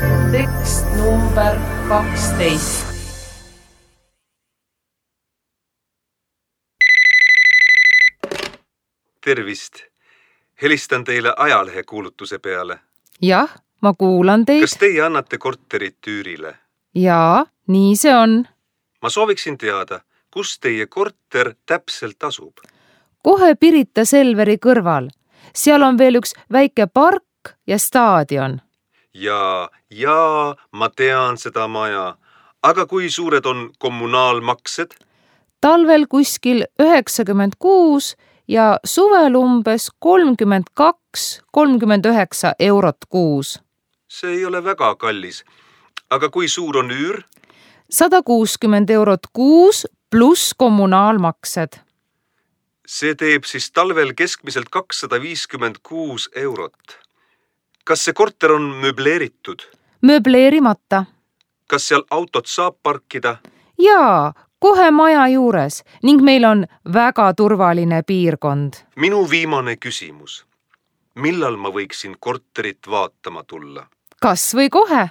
Tekst number 12. Tervist! Helistan teile ajalehekuulutuse peale. Jah, ma kuulan teid. Kas teie annate korterit üürile? Jaa, nii see on. Ma sooviksin teada, kus teie korter täpselt asub? Kohe Pirita Selveri kõrval. Seal on veel üks väike park ja staadion. Jaa, ma tean seda maja. Aga kui suured on kommunaalmaksed? Talvel kuskil 96 ja suvel umbes 32–39 eurot kuus. See ei ole väga kallis. Aga kui suur on üür? 160 eurot kuus pluss kommunaalmaksed. See teeb siis talvel keskmiselt 256 eurot. Kas see korter on möbleeritud? Möbleerimata. Kas seal autot saab parkida? Jaa, kohe maja juures ning meil on väga turvaline piirkond. Minu viimane küsimus. Millal ma võiksin korterit vaatama tulla? Kas või kohe?